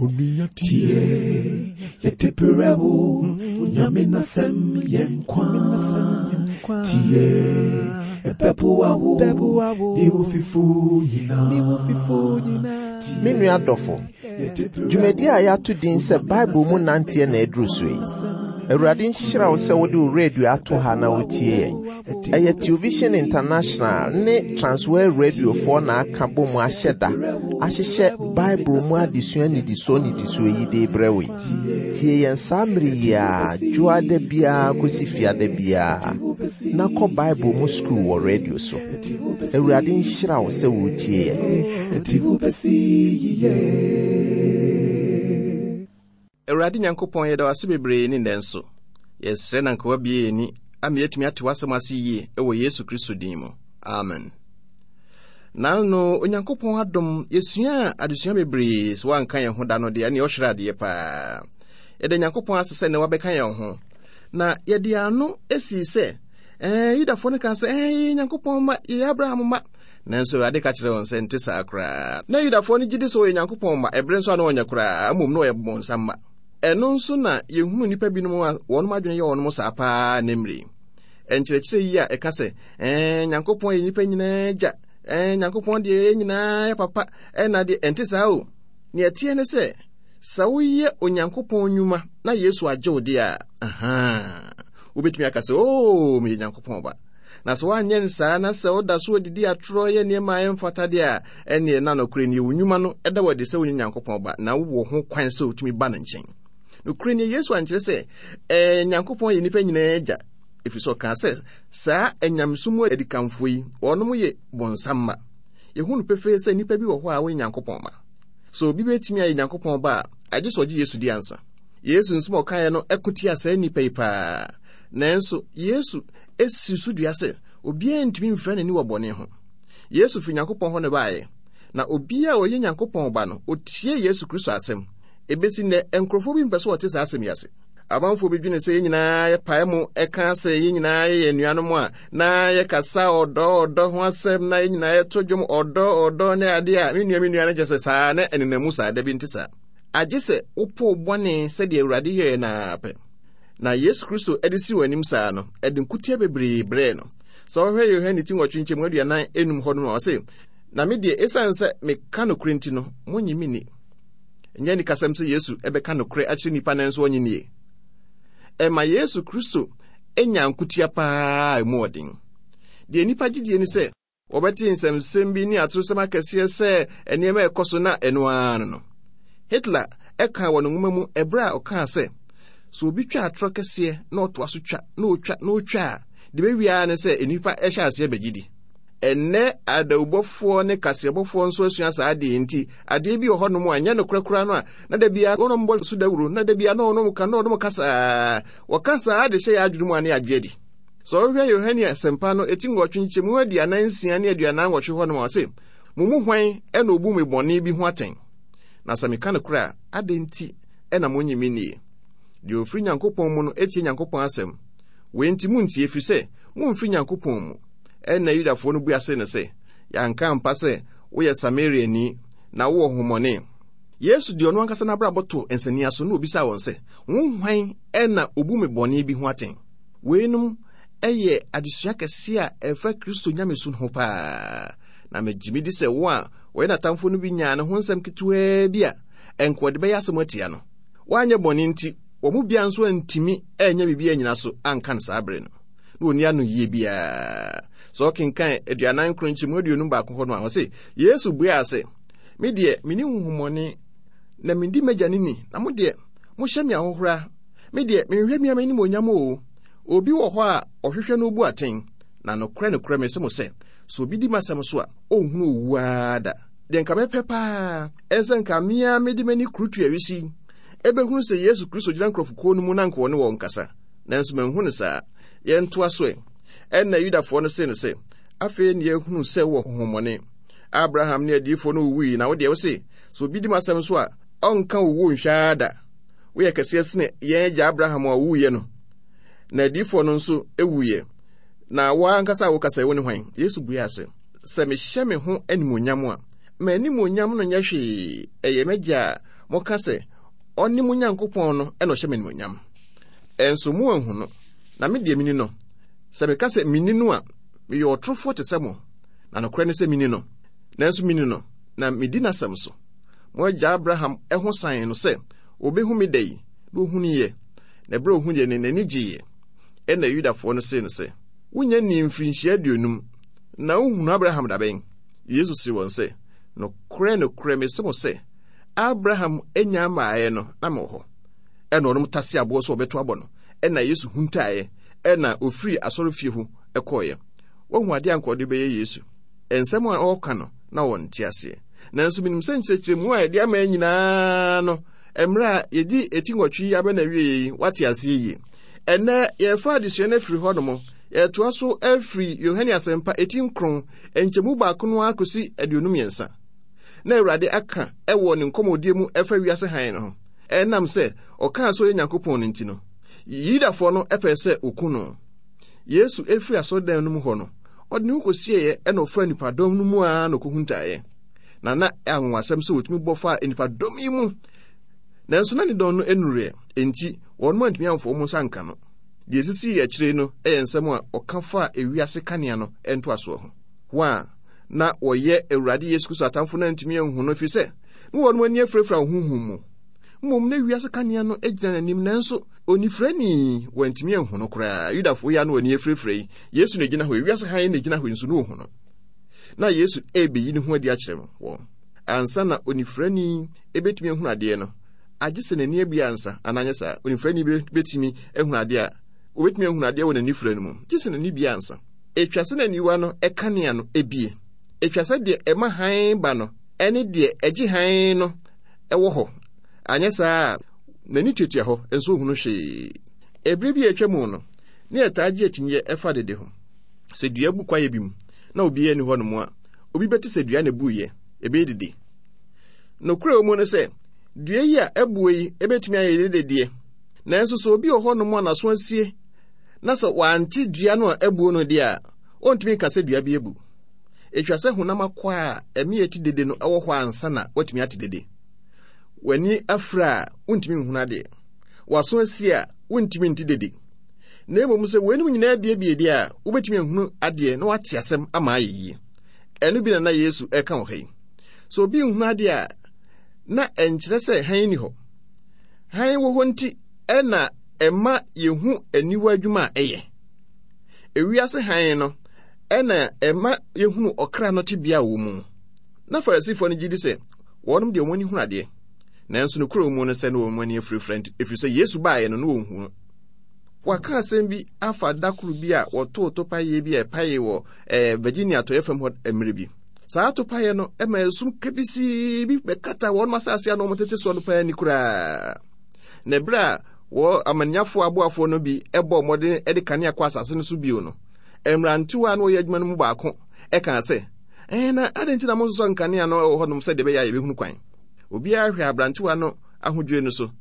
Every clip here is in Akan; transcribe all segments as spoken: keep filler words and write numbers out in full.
Tie, yɛde brɛ wo, Nyame n'asɛm yɛ nkwa. Tie, ɛbɛboa wo, ne wo fifo nyinaa. Me nua dɔfo, dwumadi a yɛato din sɛ Bible mu nanteɛ na aduru so yi. Awurade nhyira wo sɛ wode wo radio ato ha na wotie yɛn. Ɛyɛ Television International ne Transworld Radiofoɔ na aka bɔ mu ahyɛ da ahyehyɛ Bible mu adesua nnidisoɔ nnidisoɔ yi de brɛ wo yi. Tie yɛn saa mmere yi a dwoada biara kɔsi fiada biara na kɔ Bible mu sukuu wɔ radio so. Awurade nhyira wo sɛ wotie yɛn. Awurade Nyankopɔn, yɛda wo ase bebree ne nnɛ nso. Yɛsrɛ na nka wabue yɛn ani ama yɛatumi ate w'asɛm ase yie wɔ Yesu Kristo din mu. Amen. Naano Onyankopɔn adom, yɛsuaa adesua bebree. Sɛ woanka yɛn ho da no deɛ, ɛne ɔhwerɛ adeɛ paa. Yɛda Nyankopɔn ase sɛ nnɛ wabɛka yɛn ho. Na yɛde ano esii sɛ, ɛɛ, Yudafoɔ no kaa sɛ, ɛɛ, yɛyɛ Nyankopɔn mma, yɛyɛ Abraham mma. Nanso Awurade ka kyerɛɛ wɔn sɛ nte saa koraa. Na Yudafoɔ no gye di sɛ wɔyɛ Nyankopɔn mma, ɛberɛ nso a na wɔnyɛ koraa, mmom na wɔyɛ bonsam mma. Ɛno nso na yɛhunu nnipa binom a wɔnom adwene yɛ wɔnom saa paa nnɛ mmerɛ yi. Nkyerɛkyerɛ yi a ɛka sɛ, ɛɛ, Nyankopɔn yɛ nnipa nyinaa agya, ɛɛ, Nyankopɔn deɛ yɛn nyinaa yɛ papa, ɛna deɛ ɛnte saa o. Nea ɛteɛ ne sɛ, sɛ woyɛ Onyankopɔn nnwuma na Yesu agye wo deɛ a, ahaa, wobɛtumi aka sɛ, oo, meyɛ Nyankopɔn ba. Na sɛ woanyɛ no saa na sɛ woda so adidi atorɔ yɛ nneɛma a ɛmfata deɛ a, ɛnneɛ na nokorɛ nie, wo nnwuma no ɛda wo adi sɛ wonyɛ Nyankopɔn ba, na wowɔ ho kwan sɛ wotumi ba ne nkyɛn. Nokorɛ nie, Yesu ankyerɛ sɛ ɛɛ, Nyankopɔn yɛ nnipa nyinaa agya, ɛfiri sɛ ɔkaa sɛ saa anyamesom mu adikanfoɔ yi, wɔnom yɛ bonsam mma. Yɛhu no pefee sɛ nnipa bi wɔ hɔ a wɔnyɛ Nyankopɔn mma. Sɛ obi bɛtumi ayɛ Nyankopɔn ba a, agye sɛ ɔgye Yesu di ansa. Yesu nsɛm a ɔkaeɛ no ɛko tia saa nnipa yi paa. Nanso Yesu esi so dua sɛ obiara ntumi mfira n'ani wɔ bɔne ho. Yesu firi Nyankopɔn hɔ na ɛbaeɛ, na obiara a ɔyɛ Nyankopɔn ba no, otie Yesu Kristo asɛm. Ebesi nnɛ, nkurɔfoɔ bi mpɛ sɛ wɔte saa asɛm yi ase. Amanfoɔ bi dwene sɛ yɛn nyinaa yɛpae mu ɛka sɛ yɛn nyinaa yɛyɛ anuanom a, na yɛkasa ɔdɔ ɔdɔ ho asɛm, na yɛn nyinaa yɛto dwom ɔdɔ ɔdɔ ne adeɛ a, me nua me nua no kyerɛ sɛ saa na ɛnenam mu saa. Dabi, nte saa. Agye sɛ wopoo bɔne sɛdeɛ Awurade yɛɛ no ara pɛ. Na Yesu Kristo de si wɔn anim saa no, ɛde nkutia bebree brɛɛ no. Sɛ wohwɛ Yohane ti nwɔtwe nkyɛmu aduanan enum hɔ no a, ɔse, na me deɛ, esiane sɛ meka nokorɛ nti no, monnye me nni. Ɛnyɛ anikasɛm sɛ Yesu bɛka nokorɛ akyerɛ nnipa nanso ɔnnye nnie. Ɛma Yesu Kristo nya nkutia paa a emu ɔden. Deɛ nnipa gye die ne sɛ, wɔbɛte nsɛmsɛm bi ne atorosɛm akɛseɛ sɛ nneɛma a ɛkɔ so na ɛno ara no no. Hitler ɛkaa wɔ ne nwoma mu ɛberɛ a ɔkaa sɛ, sɛ obi twa atorɔ kɛseɛ na ɔtoa so twa na ɔtwa na ɔtwa a, deɛ bɛwie ara ne sɛ nnipa ɛhyɛ aseɛ bɛgye di. Ɛnnɛ adawubɔfoɔ ne kaseɛbɔfoɔ nso asua saa adeɛ nti, adeɛ bi wɔ hɔnom a ɛnyɛ nokorɛ koraa no a, na da biara wɔnom bɔ so dawuro, na da biara na wɔnom ka, na wɔnom ka saa. Wɔka saa de hyɛ yɛn adwene mu a ne yɛagye adi. Sɛ wohwɛ Yohane Asɛmpa no eti nwɔtwe nkyɛmu aduanan nsia ne aduanan nwɔtwe hɔnom a, ɔse, mo mu hwan na obu me bɔne bi ho atɛn? Na sɛ meka nokorɛ a, adɛn nti na monnye me nnie? Deɛ ɔfiri Nyankopɔn mu no tie Nyankopɔn asɛm. Wei nti montie, ɛfiri sɛ momfiri Nyankopɔn mu. Ɛnna Yudafoɔ no bua see no sɛ, yɛanka ampa sɛ woyɛ Samariani na wowɔ honhommɔne? Yesu de ɔno ankasa n'abrabɔ too nsania so na obisaa wɔn sɛ, mo hwan na obu me bɔne bi ho atɛn? Weinom yɛ adesua kɛseɛ a ɛfa Kristo nyamesu ho paa. Na megye medi sɛ wɔn a wɔyɛ n'atamfo no bi nyaa ne ho nsɛm ketewaa bi a ɛnka wɔde bɛyɛ asɛm atia no. Wɔanyɛ bɔne nti, wɔn mu biara nso antumi anyɛ biribi anyina so anka no saa bere no. Na wɔnni ano yie biara. Sɛ ɔkenkan aduanan nkron nkyɛmu aduonum baako hɔ no a, ɔse, Yesu buaa sɛ, me deɛ, menni honhommɔne, na medi m'agya no ni, na mo deɛ, mohyɛ me ahohora. Me deɛ, menhwehwɛ me ara m'animuonyam o. Obi wɔ hɔ a ɔhwehwɛ na obu atɛn, na nokorɛ nokorɛ mese mo sɛ, sɛ obi di m'asɛm so a, ɔnhunu owu ara da. Deɛ nka mɛpɛ paa ɛne sɛ nka me ara mede m'ani kurutu awisi ɛbɛhunu sɛ Yesu Kristo gyina nkurɔfokuo no mu na nka ɔne wɔn kasa. Nanso manhu no saa. Yɛntoa so ɛ. Ɛnna Yudafoɔ no see no sɛ, afei ne yɛahunu sɛ wowɔ honhommɔne. Abraham ne adiyifoɔ no wuwui, na wo deɛ wose, sɛ obi di m'asɛm so a, ɔnka owuo nhwɛ ara da. Woyɛ kɛseɛ sene yɛn agya Abraham a ɔwuiɛ no. Na adiyifoɔ no nso wuiɛ. Na wo ankasa a wokasa yi, wo ne hwan? Yesu buaa sɛ, sɛ mehyɛ me ho animuonyam a, m'animuonyam no nyɛ hwee. Ɛyɛ m'agya a Moka sɛ, ɔne mo Nyankopɔn no ɛna ɔhyɛ me animuonyam. Ɛnso mo anhu no, na me deɛ mini no. Sɛ meka sɛ mini no a, meyɛ ɔtorofoɔ te sɛ mo, na nokorɛ ne sɛ mini no. Nanso mini no, na medi n'asɛm so. Mo agya Abraham ɛho san no sɛ, obehu me da yi, na ohunuiɛ. Na ɛberɛ a ohunuiɛ no, n'ani gyeeɛ. Ɛna Yudafoɔ no see no sɛ, wonya ni mfirinhyia aduonum, na wohunu Abraham da bɛn? Yesu see wɔn sɛ, nokorɛ nokorɛ mese mo sɛ, Abraham anya mmaeɛ no, na mewɔ hɔ. Ɛna ɔnom tase aboɔ sɛ ɔbɛto abɔ no. Ɛna Yesu huntaeɛ, ɛna ofiri asɔrefie hɔ ɛkɔeɛ. Wahu adeɛ a anka ɔde bɛyɛ Yesu. Nsɛm a ɔreka no, na wɔnte aseɛ. Nanso menim sɛ nkyerɛkyerɛmu a yɛde ama nyinaa no, mmerɛ a yɛdi eti nwɔtwe yi abɛ na awie yi, wate aseɛ yie. Ɛnnɛ, yɛfa adesua no afiri hɔ nom. Yɛtoa so afiri Yohane Asɛmpa eti nkron, nkyɛmu baako no ara kɔsi aduonu mmiɛnsa. Na Awurade aka ɛwɔ ne nkɔmmɔdie mu ɛfa wiase hann no ho. Ɛnam sɛ ɔkaa sɛ ɔyɛ Nyankopɔn no nti no, Yudafoɔ no ɛpɛɛ sɛ oku no. Yesu efiri asɔredan no mu hɔ no, ɔde ne ho kɔsieeɛ ɛna ɔfaa nnipadɔm no mu ara na ɔkɔhuntaeɛ. Na na anwonwasɛm sɛ wɔtumi bɔ faa nnipadɔm yi mu. Nanso na ne dɔn no nnuruiɛ, enti wɔn antumi amfa wɔn nsa anka no. Deɛ esisii akyire no yɛ nsɛm a ɔka faa ewiase kanea no ntoasoɔ ho. Wɔn a na wɔyɛ Awurade Yesu Kristo atamfo no antumi anhu no, ɛfiri sɛ na wɔn ani afirafira wɔ honhom mu. Mmom na wiase kanea no gyina n'anim, nanso onifirani wantumi anhu no koraa. Yudafoɔ yi a na wɔn ani afirafira yi, Yesu na egyina hɔ, ewiase hann na egyina hɔ nso na ohu no. Na Yesu rebeyi ne ho adi akyerɛ wɔn. Ansa na onifirani ebetumi ahunu adeɛ no, agye sɛ n'ani abue ansa, anaa nyɛ saa? Onifirani betumi ahunu adeɛ a, obetumi ahunu adeɛ wɔ n'ani fira no mu, gye sɛ n'ani bue ansa. Etwa sɛ n'aniwa no kanea no ebie. Etwa sɛ deɛ ɛma hann ba no ɛne deɛ ɛgye hann no ɛwɔ hɔ. Anyɛ saa a, n'ani tuatua hɔ nso ohunu hwee. Ebere bi a atwa mu no, ne yɛtaa gye akyinnyeɛ ɛfa dede ho. Sɛ dua bu kwaeɛ bi mu na obiara nni hɔ nom a, obi bɛte sɛ dua na ebuiɛ, ɛbɛyɛ dede. Nokorɛ wɔ mu ne sɛ, dua yi a ɛbuo yi ebɛtumi ayɛ dede deɛ. Nanso sɛ obi wɔ hɔ nom a n'aso asie na sɛ wante dua no a ɛbuo no deɛ a, ɔntumi nka sɛ dua bi abu. Etwa sɛ honam akwaa a ɛme ɛte dede no ɛwɔ hɔ ansa na watumi ate dede. W'ani afira a, wontumi nhunu adeɛ. W'aso asie a, wontumi nte dede. Na mmom sɛ weinom nyinaa biebie deɛ a, wobɛtumi ahunu adeɛ na wate asɛm ama ayɛ yie. Ɛno bi na na Yesu ɛka wɔ ha yi. Sɛ obi nhunu adeɛ a, na ɛnkyerɛ sɛ hann ni hɔ. Hann wɔ hɔ nti ɛna ɛma yɛhu aniwa adwuma a ɛyɛ. Ewiase hann no ɛna ɛma yɛhunu ɔkra no tebea a wɔ mu. Na Farisifoɔ no gye di sɛ wɔnom deɛ wɔn ani hunu adeɛ. Nanso nokorɛ mu no sɛ na wɔn ani afirafira nti, ɛfiri sɛ Yesu baeɛ no na wɔnhu no. Wɔaka asɛm bi afa da koro bi a wɔtoo topaeɛ bi a ɛpaee wɔ eh, Virginia atɔeɛ fam hɔ mmerɛ bi. Saa topaeɛ no ɛma esum kabisii bi bɛkata wɔn asase a na wɔn tete soɔ no paa ani koraa. Na ɛberɛ a wɔ amanyafoɔ aboafoɔ no bi bɔɔ mmɔden de kanea kɔ asase no so bio no, mmerantewa a na wɔyɛ adwuma no mu baako ɛkaa sɛ, ɛn na adɛn nti na monsosɔ nkanea no wɔ hɔnom sɛdeɛ ɛbɛyɛ a yɛbɛhunu kwan? Obiara hwɛ aberantewa no ahodwire no so,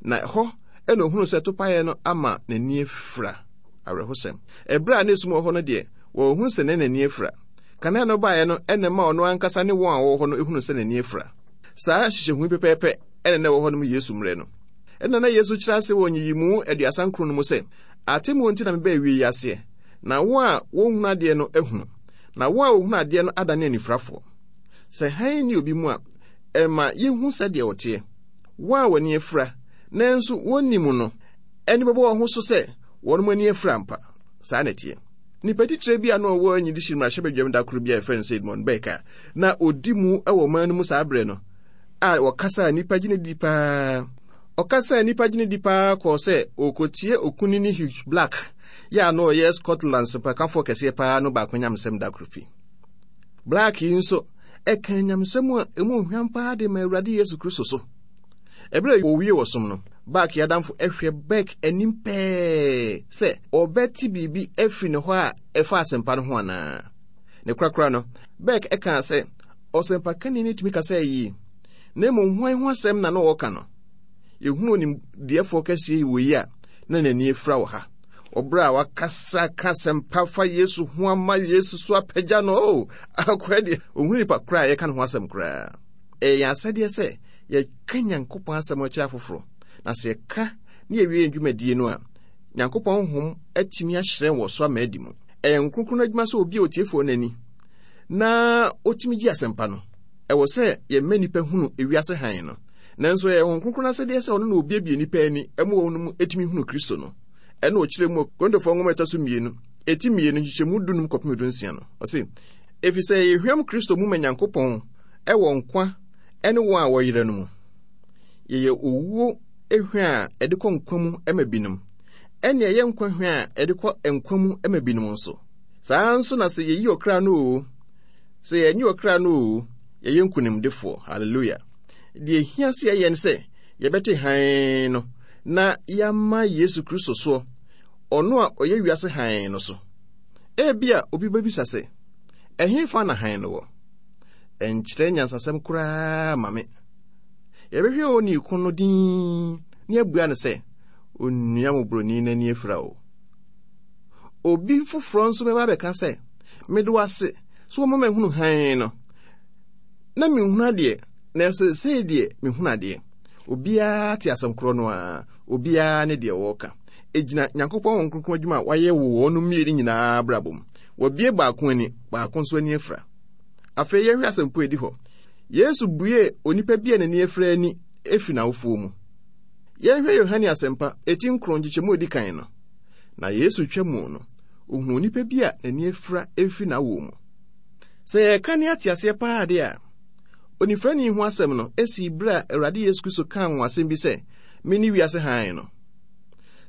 na ɛhɔ ɛna ohunu sɛ topaeɛ no ama n'ani afira. Awerɛhosɛm. Ɛberɛ a na esum wɔ hɔ no deɛ, wɔhunu sɛ na n'ani afira. Kanea no baeɛ no ɛna ɛma ɔno ankasa ne wɔn a wɔwɔ hɔ no ehunu sɛ n'ani afira. Saa nhyehyɛhu pɛpɛɛpɛ ɛna na ɛwɔ hɔ nom Yesu mmerɛ no. Ɛna na Yesu kyerɛ ase wɔ nyiyimu aduasa nkron no mu sɛ, atemmuo nti na mebɛɛ wie yi aseɛ, na wɔn a wɔnhunu adeɛ no ahunu, na wɔn a wɔhunu adeɛ no adane anifirafoɔ. Sɛ hann nni obi mu a, ɛma yɛhu sɛdeɛ ɔteɛ. Wɔn a wɔn ani afira, nanso wɔnnim no, ani bɛbɔ wɔn ho so sɛ wɔn ani afira ampa. Saa na ɛteɛ. Nipa titire bi a na ɔwɔ Enyidihyi mmarahyɛbadwam da koro bi a yɛfrɛ no sɛ Edmund Burke a na ɔdi mu wɔ ɔman no mu saa berɛ no, a ɔkasa a nnipa gye no di paa. Ɔkasa a nnipa gye no di paa kɔɔ sɛ ɔrekɔtie okunini Hugh Black yɛ a na ɔyɛ Scotland sɛmpakafoɔ kɛseɛ paa no baako nyamesɛm da koro bi. Black yi nso ɛka nyamesɛm a ɛmu hwam paa de ma Awurade Yesu Kristo so. Ɛberɛ a wɔwie wɔ som no, Black yi adamfo ɛhwɛ Burke anim pɛɛ sɛ ɔbɛte biribi afiri ne hɔ a ɛfa asɛmpa no ho anaa. Ne korakora no, Burke ɛkaa sɛ ɔsɛmpakani no tumi kasa yie, na mmom hwan ho asɛm na na ɔreka no? Yɛhunu onimdeɛfoɔ kɛseɛ yi wɔ yi a na n'ani afira wɔ ha. Ɔberɛ a wakasa ka asɛmpa fa Yesu ho ama Yesu so apagya no, o, akoa deɛ, ɔhunu nipa koraa a yɛka ne ho asɛm koraa. Ɛyɛ yɛn asɛdeɛ sɛ yɛka Nyankopɔn asɛm akyerɛ afoforɔ. Na sɛ yɛka ne yɛwie yɛn dwumadie no a, Nyankopɔn honhom atumi ahyerɛn wɔ so ama adi mu. Ɛyɛ nkronkron adwuma sɛ obi a otiefoɔ n'ani na otumi gye asɛmpa no. Ɛwɔ sɛ yɛmma nnipa hunu ewiase hann no. Nanso ɛyɛ Honhom Kronkron asɛdeɛ sɛ ɔno na obiebie nnipa ani ma wɔn mu etumi hunu Kristo no. Ɛna ɔkyerɛ mu Korintofoɔ nwoma ɛtɔ so mmienu, eti mmienu nkyekyɛmu dunum kɔpem dunsia no. Ɔse, efisɛ yɛhwam Kristo mu ma Nyankopɔn ɛwɔ nkwa ɛne wɔn a wɔyera no mu. Yɛyɛ owuo ehwa a ɛde kɔ nkwa mu ma binom, ɛne ɛyɛ nkwa hwa a ɛde kɔ nkwa mu ma binom nso. Saa nso na sɛ yɛyi ɔkra no o, sɛ yɛnyi ɔkra no o, yɛyɛ nkonimdifoɔ. Hallelujah. Deɛ ehia sɛ yɛyɛ ne sɛ yɛbɛte hann no na yɛama Yesu Kristo soɔ, ɔno a ɔyɛ wiase hann no so. Ebia obi bɛbisa sɛ, ɛhefa na hann no wɔ? Ɛnkyerɛ nyansasɛm koraa ma me. Yɛbɛhwɛ onii ko no din na yɛabua no sɛ, onua mmɔborɔni n'ani afira o. Obi foforɔ nso bɛba abɛka sɛ, mede wo ase sɛ wɔma mahunu hann no. Na menhunu adeɛ, na seesei deɛ mehunu adeɛ. Obiara te asɛm korɔ no a, obiara ne deɛ wɔreka. Egyina Nyankopɔn Honhom Kronkron adwuma a wayɛ wɔ wɔn mmienu nyinaa abrabɔ mu. Wɔabue baako ani, baako nso ani afira. Afei yɛnhwɛ asɛmpo a edi hɔ. Yesu bue onipa bi a n'ani afira ani efi n'awofoɔ mu. Yɛnhwɛ Yohane Asɛmpa, eti nkron nkyekyɛmu a edi kan no. Na Yesu twa mu no, ohuu onipa bi a n'ani afira efi n'awoɔ mu. Sɛ yɛka ne ate aseɛ paa de a, onifirani ho asɛm no esi bere a Awurade Yesu Kristo kaa wɔn asɛm bi sɛ, mene wiase hann no.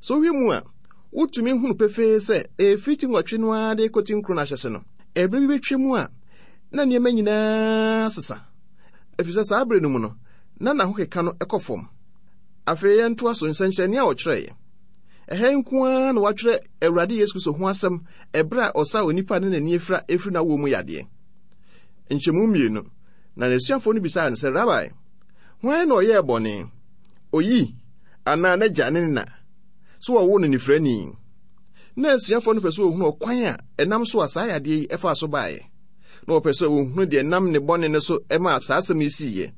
Sɛ wohwɛ mu a, wotumi hunu pefee sɛ ɛfiri ti nwɔtwe no ara de kɔti nkron no ahyɛse no, ɛberɛ bi bɛtwa mu a na nneɛma nyinaa sesa. Ɛfiri sɛ saa bere no mu no, na n'ahokeka no kɔ fam. Afei yɛntoa so nsɛnkyerɛnne a ɔkyerɛeɛ. Ɛha nko ara na wɔatwerɛ Awurade Yesu Kristo ho asɛm ɛberɛ a ɔsaa onipa ne n'ani afira efiri n'awoɔ mu yadeɛ. Nkyɛmu mmienu, na n'asuafoɔ no bisaa no sɛ, Rabai, hwan na ɔyɛɛ bɔne, oyi anaa n'agya ne ne na, sɛ wɔwoo no nifirani? Na asuafoɔ no pɛ sɛ wɔhunu ɔkwan a ɛnam so a saa yadeɛ yi ɛfaa so baeɛ. Na wɔpɛ sɛ wɔhunu deɛ nam ne bɔne no so ɛmaa saa asɛm yi siiɛ.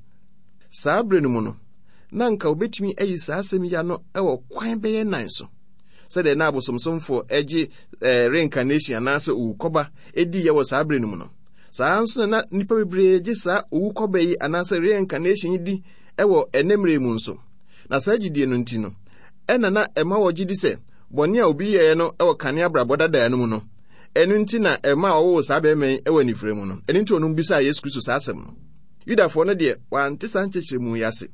Saa berɛ no mu no, na anka wobɛtumi ayi saa asɛm yi ano wɔ kwan bɛyɛ nan so. Sɛdeɛ na abosomsomfoɔ agye eh, reincarnation anaasɛ owukɔba ɛdiiɛ wɔ saa berɛ no mu no. Saa nso na na nnipa bebree gye saa owukɔba yi anaasɛ reincarnation yi di wɔ ɛnɛ mmerɛ mu nso. Na saa gyidie no nti no, ɛna na ɛma wɔgye di sɛ bɔne a obi yɛɛ no wɔ kane abrabɔ dadaa no mu no, ɛno nti na ɛma ɔwoo saa bɛrima yi wɔ anifere mu no. Ɛno nti ɔnom bisaa Yesu Kristo saa asɛm no. Yudafoɔ no deɛ, wɔante saa nkyerɛkyerɛmu yi ase.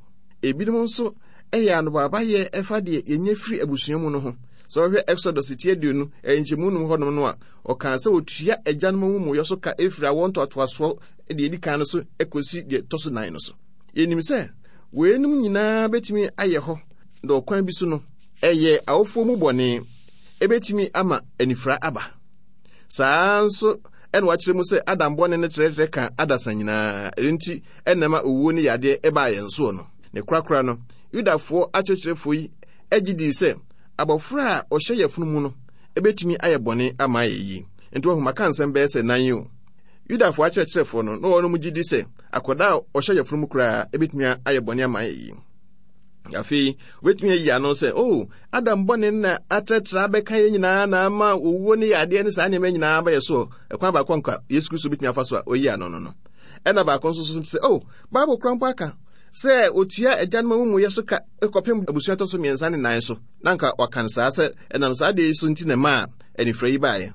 Ebinom nso ɛyɛ anobaabayɛ ɛfa deɛ yɛnya firi abusua mu no ho. Sɛ wɔhwɛ Exodus ti aduonu nkyɛmu num hɔnom no a, ɔkaa sɛ otua agyanom amumuyɔ so ka efiri awoɔ ntoatoasoɔ deɛ edi kan no so kɔsi deɛ ɛtɔ so nan no so. Yɛnim sɛ weinom nyinaa bɛtumi ayɛ hɔ na ɔkwan bi so no, ɛyɛ awofoɔ mu bɔne ɛbɛtumi ama anifira aba. Saa nso ɛna wakyerɛ mu sɛ Adam bɔne no kyerɛkyerɛ ka adasa nyinaa. Ɛno nti ɛna ma owuo ne yadeɛ ɛbaa yɛn soɔ no. Ne korakora no, Yudafoɔ akyerɛkyerɛfoɔ yi agye dii sɛ abɔfra a ɔhyɛ yafunu mu no ebetumi ayɛ bɔne ama ayɛ yie. Nti wɔn maka nsɛm bɛyɛ sɛ nan yi o. Yudafoɔ akyerɛkyerɛfoɔ no, na wɔn gye di sɛ akwadaa a ɔhyɛ yafunu mu koraa ebetumi ayɛ bɔne ama ayɛ yie. Afei, wobɛtumi ayi ano sɛ, oh, Adam bɔne na atrɛtrɛ abɛka yɛn nyinaa na ama owuo ne yadeɛ ne saa nneɛma nyinaa abɛyɛ so. Ɛkwan baako nka Yesu Kristo bɛtumi afa so a ɔyi ano no no. Ɛna baako nso so sɛ, oh, Bible kora mpo aka sɛ otua agyanom amumuyɛ so ka kɔpem abusua ɛtɔ so mmiɛnsa ne nan so. Na nka waka no saa sɛ ɛnam saa adeɛ yi so nti na ɛmaa anifira yi baeɛ.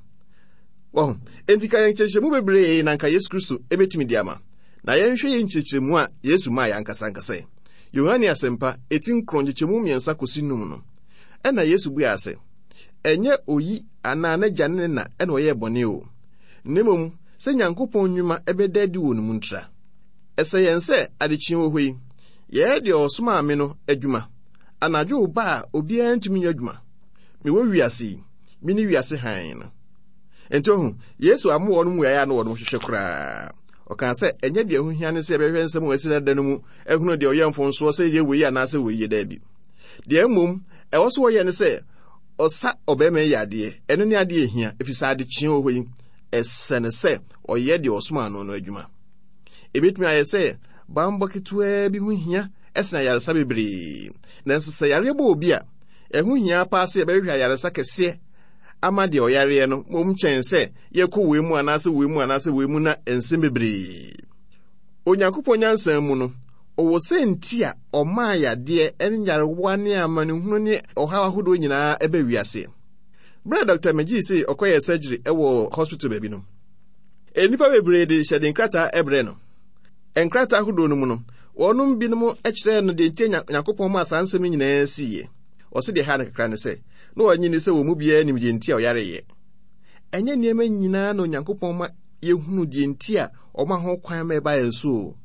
Wɔho, enti ka yɛn nkyerɛkyerɛmu bebree na nka Yesu Kristo ebɛtumi de ama. Na yɛnhwɛ yɛn nkyerɛkyerɛmu a Yesu maa yɛn ankasa ankasa yi. Yohane Asɛmpa, eti nkron nkyekyɛmu mmiɛnsa kɔsi num no, ɛna Yesu buaa sɛ, ɛnyɛ oyi anaa n'agya ne ne na ɛna ɔyɛɛ bɔne o, na mmom sɛ Nyankopɔn nnwuma ɛbɛda adi wɔ ne mu ntira. Ɛsɛ yɛn sɛ adekyee wɔ hɔ yi, yɛyɛ deɛ ɔsomaa me no adwuma. Anadwo ba a obiara ntumi nyɛ adwuma. Mewɔ wiase yi, mene wiase hann no. Enti ohu, Yesu amma wɔn mmuaeɛ a na wɔn hwehwɛ koraa. Ɔkaa sɛ ɛnyɛ deɛ ɛho hia ne sɛ yɛbɛhwɛ nsɛm a ɛsi dada no mu ahunu deɛ ɔyɛ mfomsoɔ sɛ yɛ wei anaasɛ wei yɛ daabi. Deɛ mmom ɛwɔ so wɔyɛ ne sɛ ɔsa ɔbarima yi yadeɛ. Ɛno ne adeɛ ɛhia, ɛfiri sɛ adekyee wɔ hɔ yi, ɛsɛ no sɛ ɔyɛ deɛ ɔsomaa no no adwuma. Ebetumi ayɛ sɛ bammɔ ketewaa bi ho hia ɛsene ayaresa bebree. Nanso sɛ yareɛ bɔ obi a, ɛho hia paa sɛ yɛbɛhwehwɛ ayaresa kɛseɛ ama deɛ ɔyareɛ no mmom kyɛn sɛ yɛkɔ wei mu anaasɛ wei mu anaasɛ wei mu na nsɛm bebree. Onyankopɔn nyansa mu no, ɔwɔ sɛ nti a ɔmaa yadeɛ ne nyarewa ne amanehunu ne ɔhaw ahodoɔ nyinaa ɛbɛ wiase. Berɛ a Doctor McGee se ɔkɔyɛ surgery ɛwɔ hospital baabi no, nnipa bebree de hyɛde nkrataa ɛbrɛ no. Nkrataa ahodoɔ no mu no, wɔnom binom kyerɛɛ no deɛ nti Nyankopɔn maa saa nsɛm nyinaa siiɛ. Ɔse deɛ ha no kakra ne sɛ, na ɔnye ni sɛ wɔn mu biara nim deɛ nti a ɔyareeɛ. Ɛnyɛ nneɛma nyinaa na Onyankopɔn ma yɛhunu deɛ nti a ɔma ho kwan ma ɛba yɛn so o.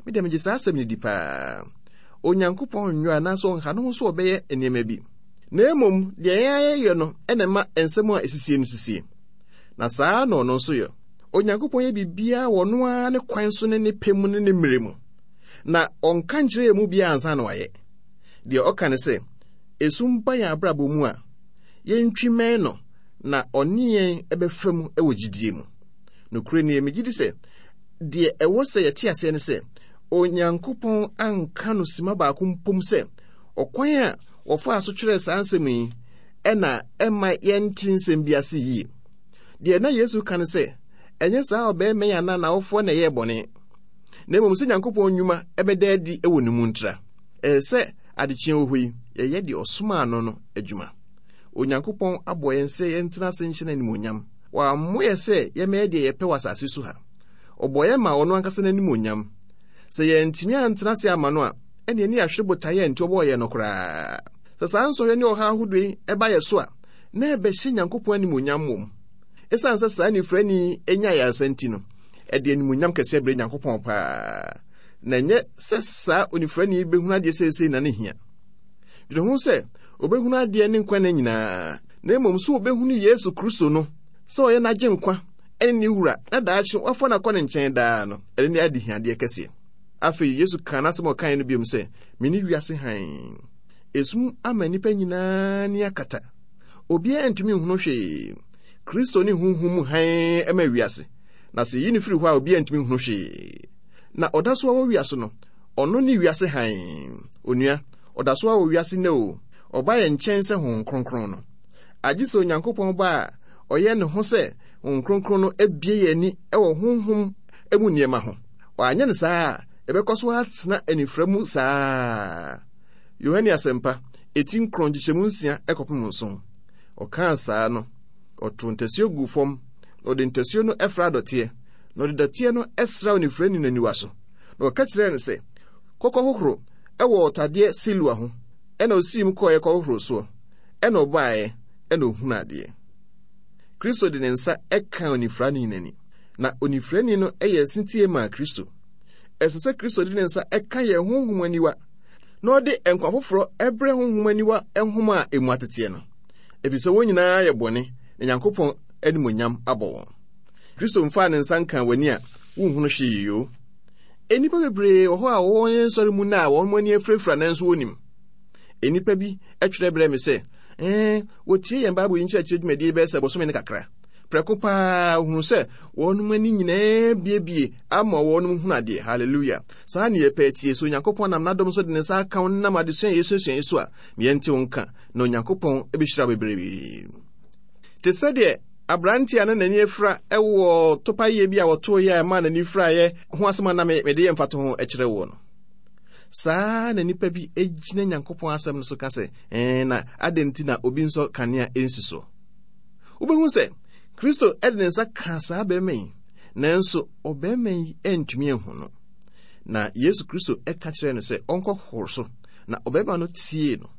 Me deɛ megye saa asɛm no di paa. Onyankopɔn nnwo anaasɛ ɔnha ne ho so ɔbɛyɛ nneɛma bi. Na mmom, deɛ yɛn ayɛyɛ no ɛna ɛma nsɛm a ɛsisie no sisie. Na saa na ɔno nso yɛ. Onyankopɔn yɛ biribiara wɔ ɔno ara ne kwan so ne ne pɛ mu ne ne mmerɛ mu. Na ɔnka nkyerɛ yɛn mu biara ansa na wayɛ. Deɛ ɔka ne sɛ, esum ba yɛn abrabɔ mu a, yɛntwi mmɛn no na ɔne yɛn ɛbɛfa mu wɔ gyidie mu. Nokorɛ nie, megye di sɛ, deɛ ɛwɔ sɛ yɛte aseɛ ne sɛ, Onyankopɔn anka no sima baako mpom sɛ, ɔkwan a wɔfaa so kyerɛɛ saa nsɛm yi ɛna ɛma yɛnte nsɛm bi ase yie. Deɛ na Yesu ka ne sɛ, ɛnyɛ saa ɔbarima yi anaa n'awofoɔ na ɛyɛɛ bɔne, na mmom sɛ Nyankopɔn nnwuma ɛbɛda adi wɔ ne mu ntra. Ɛyɛ sɛ adekyeɛ wɔ hɔ yi, yɛyɛ deɛ ɔsomaa no no adwuma. Onyankopɔn abɔ yɛn sɛ yɛntena ase nhyɛ n'animuonyam. Wammɔ yɛ sɛ yɛmmɛyɛ deɛ yɛpɛ wɔ asase so ha. Ɔbɔ yɛn ma ɔno ankasa n'animuonyam. Sɛ yɛntumi antena ase ama no a, ɛne ani ahwere botaeɛ a nti ɔbɔɔ yɛn no koraa. Sɛ saa nsɔhwɛ ne ɔhaw ahodoɔ yi ɛba yɛ so a, na ɛbɛhyɛ Nyankopɔn animuonyam mmom. Ɛsiane sɛ saa nifrani anya ayaresa nti no, ɛde animuonyam kɛseɛ brɛ Nyankopɔn paa. Na ɛnyɛ sɛ saa onifrani bɛhunu adeɛ seesei na ne hia. Dwene ho sɛ obɛhunu adeɛ ne nkwa nna nyinaa, na mmom sɛ obɛhunu Yesu Kristo no sɛ ɔyɛ n'agyenkwa ɛne ne wura na daakye wafa no akɔ ne nkyɛn daa no, ɛno ne adehiadeɛ kɛseɛ. Afei Yesu kaa n'asɛm a ɔkaeɛ no biom sɛ, mene wiase hann. Esum ama nnipa nyinaa ni akata. Obiara ntumi nhunu hwee. Kristo ne honhom mu hann ma wiase. Na sɛ yi no firi hɔ a, obiara ntumi nhunu hwee. Na ɔda so wɔ wiase no, ɔno ne wiase hann. Onua, ɔda so wɔ wiase nnɛ o. Ɔba yɛn nkyɛn sɛ Honhom Kronkron no. Agye sɛ Onyankopɔn ba a ɔyɛ ne ho sɛ Honhom Kronkron no abue yɛn ani wɔ honhom mu nneɛma ho. Wanyɛ no saa a, ɛbɛkɔ so atena anifra mu saa. Yohane Asɛmpa, eti nkron nkyekyɛmu nsia kɔpem nson. Ɔkaa saa no, ɔtoo ntasuo guu fam, na ɔde ntasuo no ɛfra dɔteɛ, na ɔde dɔteɛ no ɛsra onifirani no aniwa so. Na ɔka kyerɛɛ no sɛ, kɔkɔ hohoro ɛwɔ ɔtadeɛ Siloa ho. Ɛna osii mu kɔeɛ kɔhohoro soɔ. Ɛna ɔbaeɛ, ɛna ohunu adeɛ. Kristo de ne nsa ɛkaa onifirani n'ani, na onifirani no ɛyɛ setie maa Kristo. Ɛsɛ sɛ Kristo de ne nsa ɛka yɛn honhom aniwa, na ɔde nkwa foforɔ ɛbrɛ honhom aniwa nhoma a emu ateteɛ no. Ɛfiri sɛ wɔn nyinaa yɛ bɔne, na Nyankopɔn animuonyam abɔ wɔn. Kristo mfaa ne nsa nkaa w'ani a wonhunu hwee yo. Nnipa bebree wɔ hɔ a wɔwɔ yɛn nsɔre mu na a wɔn ani afirafira nanso wɔnim. Nnipa bi twerɛ brɛ me sɛ, ɛɛ, wɔtie yɛn Bible yi nkyerɛkyerɛ dwumadie bɛyɛ sɛ bosome ne kakra. Prɛko paa ohunu sɛ wɔn ani nyinaa biebie ama wɔn hunu adeɛ. Hallelujah. Saa ne yɛpɛ tie. So Onyankopɔn nam n'adom so de ne nsa aka wo nam adesua a yɛsuasua yi so a, yɛnte wo nka, na Onyankopɔn bɛhyira wo bebree. Te sɛ deɛ aberanteɛ a na n'ani afira wɔ topayɛ bi a wɔtooeɛ a ɛmaa n'ani firaeɛ ho asɛm a na mede yɛ mfatoho kyerɛ woɔ no. Saa na nnipa bi gyina Nyankopɔn asɛm no so ka sɛ, ɛɛ, na adɛn nti na obi nsɔ kanea nsi so? Wobɛhu sɛ Kristo de ne nsa kaa saa barima yi, nanso ɔbarima yi antumi anhu no. Na Yesu Kristo ka kyerɛɛ no sɛ ɔnkɔhohoro so, na ɔbarima no tiee no.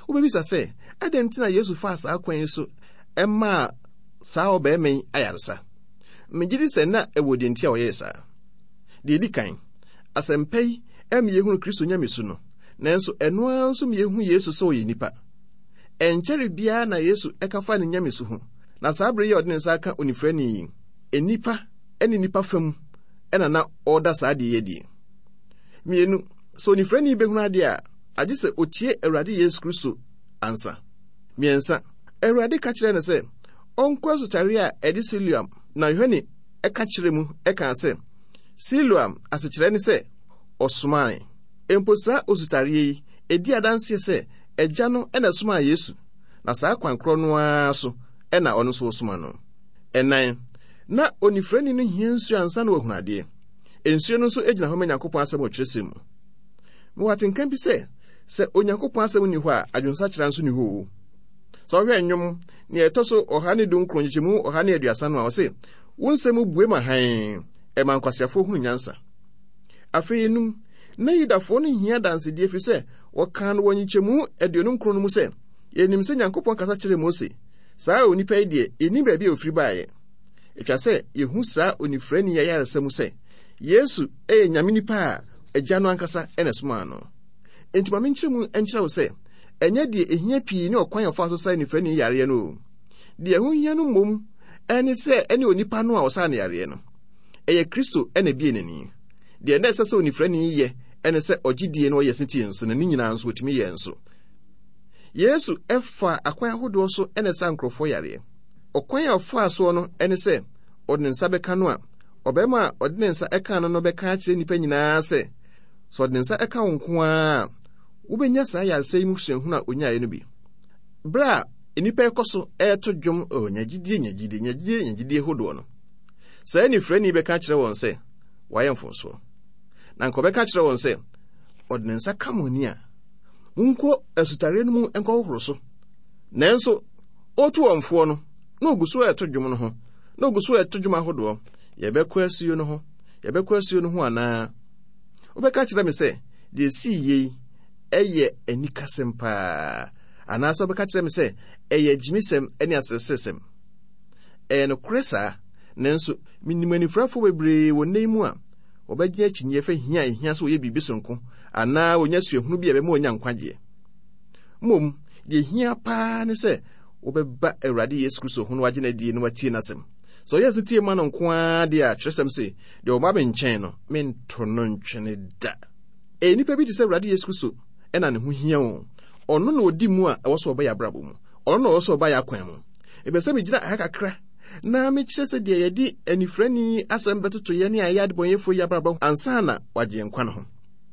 Wobɛbisa sɛ, adɛn nti na Yesu faa saa kwan yi so maa saa ɔbarima yi ayaresa? Megye di sɛ na ɛwɔ deɛ nti a ɔyɛɛ saa. Deɛ ɛdi kan, asɛmpa yi ɛma yɛhunu Kristo nyamesu no, nanso ɛno ara nso ma yɛhu Yesu sɛ ɔyɛ nipa. Ɛnkyɛre biara na Yesu ɛka fa ne nyamesu ho, na saa bere yi a ɔde ne nsa aka onifirani yi, nnipa ne nnipa fam ɛna na ɔreda saa adeɛ yi adi. Mmienu, sɛ onifirani bɛhunu adeɛ a, agye sɛ otie Awurade Yesu Kristo ansa. Mmiɛnsa, Awurade ka kyerɛɛ no sɛ ɔnkɔ asutare a ɛde Siloam, na Yohane ɛka kyerɛ mu ɛkaa sɛ Siloam asekyerɛ ne sɛ ɔsomae. Mpo saa osutareɛ yi, ɛdi adanseɛ sɛ Agya no ɛna somaa Yesu, na saa kwan korɔ no ara so ɛna ɔno nso ɔsoma no. Ɛnan, na onifirani no hia nsuo ansa na wahunu adeɛ. Nsuo no nso gyina hɔ ma Nyankopɔn asɛm wɔ kyerɛsɛm mu. Mewɔ atenka bi sɛ, sɛ Onyankopɔn asɛm nni hɔ a, adwensakyera nso nni hɔ o. Sɛ ɔhwɛ nnwom nea ɛtɔ so ɔha ne dunkron nkyekyɛmu ɔha ne aduasa no a, ɔse, wo nsɛm bue ma hann, ɛma nkwaseafoɔ hunu nyansa. Afei enum, na Yudafoɔ no hia adansedie ɛfiri sɛ wɔkaa no wɔ nkyekyɛmu aduonu nkron no mu sɛ, yɛnim sɛ Nyankopɔn kasa kyerɛɛ Mose. Saa onipa yi deɛ, yɛnnim baabi a ofiri baeɛ. Ɛtwa sɛ yɛhu saa onifirani yi ayaresa mu sɛ, Yesu yɛ Nyame nipa a Agya no ankasa na ɛsomaa no. Enti ma menkyerɛ mu nkyerɛ wo sɛ, ɛnyɛ deɛ ɛhia pii ne ɔkwan a ɔfaa so saa onifirani yareɛ no o. Deɛ ɛho hia no mmom ɛne sɛ ɛne onipa no a ɔsaa no yareɛ no. Ɛyɛ Kristo na ebie n'ani. Deɛ na ɛsɛ sɛ onifirani yi yɛ ɛne sɛ ɔgye die na ɔyɛ setie nso, na ne nyinaa nso ɔtumi yɛ nso. Yesu ɛfa akwan ahodoɔ so ɛna ɛsa nkurɔfoɔ yareɛ. Ɔkwan a ɔfaa soɔ no ɛne sɛ ɔde ne nsa bɛka no a, ɔbarima a ɔde ne nsa ɛka no no bɛka akyerɛ nnipa nyinaa sɛ, sɛ ɔde ne nsa ɛka wo nko ara a, wobɛnya saa yaresa yi mu suahunu a onyaeɛ no bi. Berɛ a nnipa ɛkɔ so ɛreto dwom, oh, nya gyidie, nya gyidie, nya gyidie, nya gyidie hodoɔ no, saa nifirani bɛka kyerɛ wɔn sɛ wayɛ mfomsoɔ. Na nka ɔbɛka kyerɛ wɔn sɛ, ɔde ne nsa ka mo ani a, monkɔ asutareɛ no mu nkɔhohoro so. Nanso, ɔretu wɔn foɔ no, na ogu so ɛreto dwom no ho, na ogu so ɛreto dwom ahodoɔ. Yɛbɛkɔ asuo no ho, yɛbɛkɔ asuo no ho anaa? Wobɛka kyerɛ me sɛ, deɛ esii yei ɛyɛ anikasɛm paa, anaasɛ wobɛka kyerɛ me sɛ ɛyɛ gyimisɛm ne asereseresɛm. Ɛyɛ nokorɛ saa, nanso menim anifirafoɔ bebree wɔ nnɛ yi mu a wɔbɛgye akyinnyeɛ fa hia a ehia sɛ wɔyɛ biribi sononko anaa wɔnya suahunu bi a ɛbɛma wɔanya nkwagyeɛ. Mmom, deɛ ehia paa ne sɛ wɔbɛba Awurade Yesu Kristo ho na wɔagye no adie na wɔatie n'asɛm. Sɛ ɔyɛ setie ma no nko ara deɛ a, kyerɛsɛm se, deɛ ɔba me nkyɛn no, mento no ntwene da. Ɛyɛ nnipa bi te sɛ Awurade Yesu Kristo ɛna ne ho hia o. Ɔno na ɔdi mu a ɛwɔ sɛ ɔba yɛ abrabɔ mu. Ɔno na ɔwɔ sɛ ɔba yɛ akwan mu. Ɛbɛ sɛ megyina ha kakra na mekyerɛ sɛ deɛ yɛde anifirani asɛm bɛtoto yɛn ne a ɛyɛ adebɔnyɛfoɔ yi abrabɔ ansa na wagye nkwa no ho.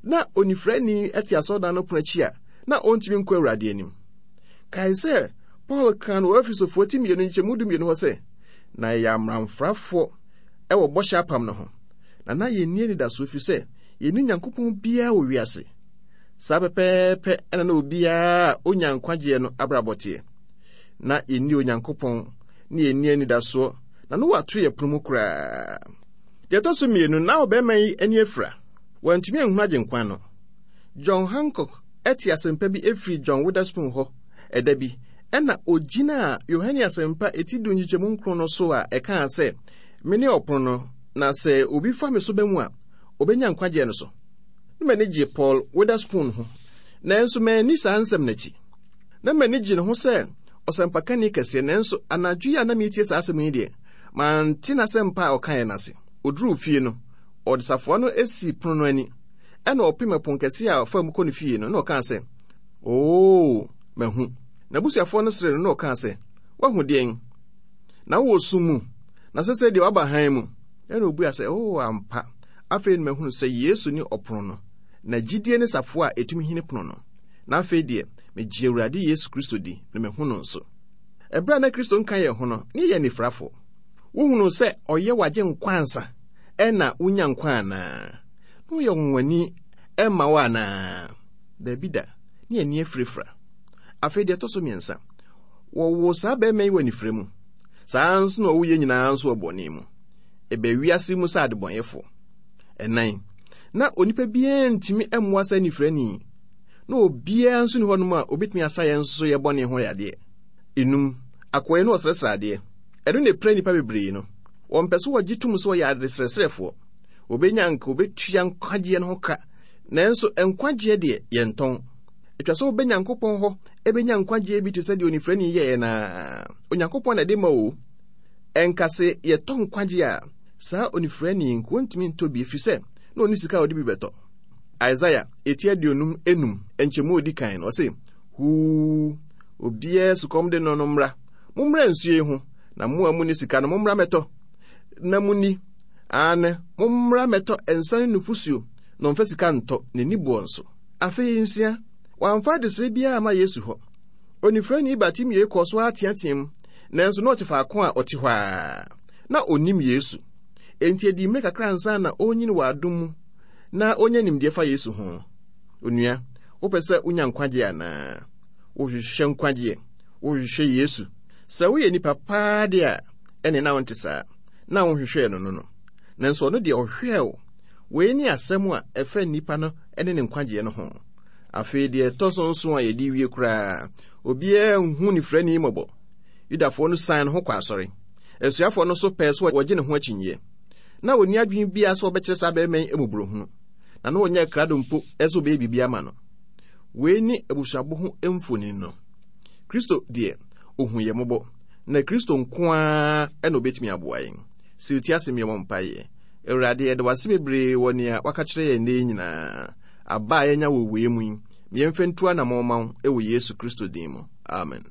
Na onifirani te asɔredan no pono akyi a na ɔntumi nkɔ Awurade anim. Kae sɛ Paul kaa no wɔ Efesofoɔ ti mmienu nkyɛmu du mmienu hɔ sɛ, na yɛyɛ amamfrafoɔ ɛwɔ bɔhyɛ apam no ho, na na yɛnni anidasoɔ ɛfiri sɛ yɛnni Nyankopɔn biara wɔ wiase. Saa pɛpɛɛpɛ ɛna na obiara a onya nkwagyeɛ no abrabɔ teɛ. Na yɛnni Onyankopɔn ne yɛnni anidasoɔ, na no wato yɛ pono mu koraa. Deɛ ɛtɔ so mmienu, na ɔbarima yi ani afira. Wantumi anhunu agyenkwa no. John Hancock ɛte asɛmpa bi efiri John Witherspoon hɔ ɛda bi, ɛna ogyinaa Yohane asɛmpa eti du nkyekyɛmu nkron no so a ɛkaa sɛ, mene ɔpono no, na sɛ obi fa me so bɛ mu a, obenya nkwagyeɛ no so. Na m'ani gye Paul Witherspoon ho, nanso manni saa nsɛm n'akyi. Na m'ani gye ne ho sɛ ɔsɛmpakani kɛseɛ, nanso anadwo yi a na meretie saa asɛm yi deɛ, mante n'asɛmpa a ɔkaeɛ no ase. Oduruu fie no, ɔde safoa no esi pono no ani, ɛna ɔpem ɛpon kɛseɛ a ɔfaa mu kɔ ne fie no, na ɔkaa sɛ, Oo, mahu. N'abusuafoɔ no seree no na ɔkaa sɛ, Woahu deɛn? Na wowɔ sum mu, na sɛsɛ deɛ woaba hann mu. Ɛna obua sɛ, Oo, ampa. Afei na mahunu sɛ Yesu ne ɔpono no, na gyidie ne safoa a ɛtumi hini pono no. Na afei deɛ, megye Awurade Yesu Kristo di, na mahu no nso. Ɛberɛ a na Kristo nka yɛn ho no, ne yɛ anifirafoɔ. Wohunuu sɛ ɔyɛ wagye nkwa ansa, ɛna wonya nkwa anaa? Na ɔyɛ ɔnwanwani ɛma wo anaa? Daabi da, ne ani afirafira. Afei deɛ ɛtɔ so mmiɛnsa, wɔwoo saa barima yi wɔ anifira mu. Saa nso na ɔwo yɛn nyinaa nso wɔ bɔne mu. Ɛbɛ wiase mu sɛ adebɔnyɛfoɔ. Ɛnan, na onipa biara ntumi mmoa saa anifirani. Na obiara nso ni hɔnom a obetumi asa yɛn nso yɛ bɔne ho yadeɛ. Enum, akoa yi na ɔsrɛsrɛ adeɛ. Ɛno na epira nnipa bebree no. Wɔmpɛ so wɔgye tom sɛ wɔyɛ adesrɛsrɛfoɔ. Wɔbɛnya nka wɔbɛtua nkwagyeɛ no ho ka. Nanso nkwagyeɛ deɛ yɛntɔn. Atwa sɛ wobɛ Nyankopɔn hɔ ɛbɛnya nkwagyeɛ bi te sɛ deɛ onifirani yɛɛ naa. Onyankopɔn na ɛde ma o. Ɛnka se yɛtɔ nkwagyeɛ a, saa onifirani nko ntumi ntɔ bi ɛfiri sɛ na ɔni sika a ɔde bi bɛtɔ. Isaiah eti aduonum enum nkyɛmu odi kan no ɔse, Huu, obiara sukɔm de no no mmra. Mommra nsuo yi ho, na mo a munni sika no mommra mmɛtɔ. Na munni. Aane, mommra mmɛtɔ nsa ne nufosuo, Na ɔmfa sika ntɔ n'ani boɔ nso. Afei nsia, wamfa adesrɛ biara amma Yesu hɔ. Onifirani Bartimeo kɔɔ so ateateam, nanso na ɔte faako a ɔte hɔ ara. Na onnim Yesu. Enti edi mmere kakra ansa na onyin wɔ adom mu na onya nimdeɛ fa Yesu ho. Onua, wopɛ sɛ wonya nkwagye anaa? Wohwehwɛ nkwagyeɛ? Wohwehwɛ Yesu? Sɛ woyɛ nipa paa de a, ɛne na wonte saa. Na wonhwehwɛɛ no no no. Nanso ɔno deɛ ɔhwehwɛɛ wo. Wei ne asɛm a ɛfa nnipa no ne ne nkwagyeɛ no ho. Afei deɛ ɛtɔ so nson a yɛde wie koraa, obiara nhu nifirani mmɔbɔ. Yudafoɔ no san ne ho kɔ asɔre. Asuafoɔ no nso pɛɛ sɛ wɔgye ne ho akyinnyeɛ. Na wɔnni adwene biara sɛ wɔbɛkyerɛ saa barima yi mmɔborɔhunu, na na wɔnyɛ krado mpo sɛ wɔbɛyɛ biribi ama no. Wei ne abusuabɔ ho mfonini no. Kristo deɛ, ohu yɛn mmɔbɔ, na Kristo nko ara na obetumi aboa yɛn. Siw ti ase mmea mpaeɛ. Awurade, yɛda wo ase bebree wɔ nea waka kyerɛ yɛn nnɛ yi nyinaa. Aba a yɛanya wɔ wei mu yi, ma yɛmfa ntu anammɔn ma wo wɔ Yesu Kristo din mu. Amen.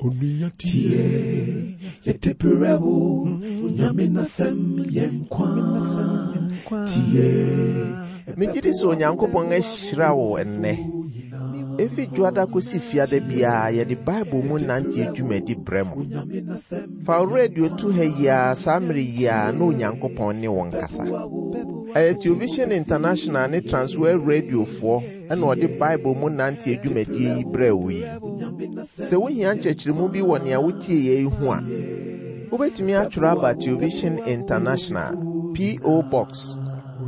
Onua tie, yɛde brɛ wo, Onyame n'asɛm yɛ nkwa. Tie. Megye di sɛ Onyankopɔn ahyira wo ɛnnɛ. Efi Dwoada kosi Fiada biara yɛde Bible mu nante dwumadi brɛ mo. Fa wo radio to ha yi ara saa mmere yi ara na Onyankopɔn ne wo nkasa. Ɛyɛ Television International ne Transworld Radiofoɔ ɛna ɔde Bible mu nante dwumadie yi brɛ wo yi. Sɛ wohia nkyerɛkyerɛmu bi wɔ nea wotie yɛ yi ho a, wobɛtumi atwerɛ aba Television International, P O. Box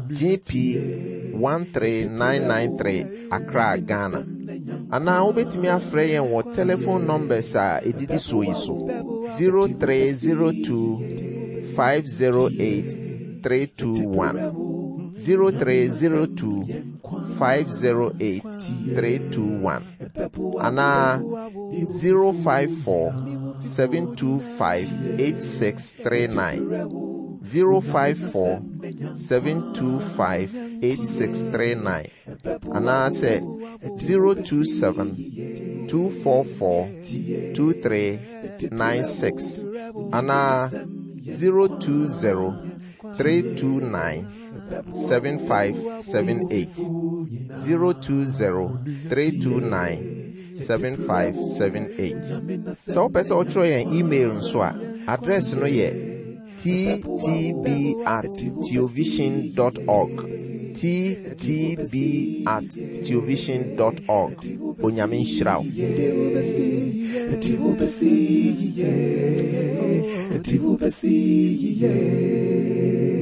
G P one three nine nine three, Accra, Ghana. Anaa wobɛtumi afrɛ yɛn wɔ telephone numbers a ɛdidi soɔ yi so: zero three zero two five zero eight three two one, zero three zero two five zero eight three two one, anaa zero five four seven two five eight six three nine, zero five four seven two five eight six three nine, anaasɛ zero two seven two four four two three nine six, anaa zero two zero three two nine seven five seven eight, zero two zero three two nine seven five seven eight. Sɛ wopɛ sɛ wotwerɛ yɛn email nso a, address no yɛ T T B at theovision dot org, T T B at theovision dot org. Onyame nhyira wo. Yɛde wo bɛsi, yɛde wo bɛsi yie, yɛde wo bɛsi yie.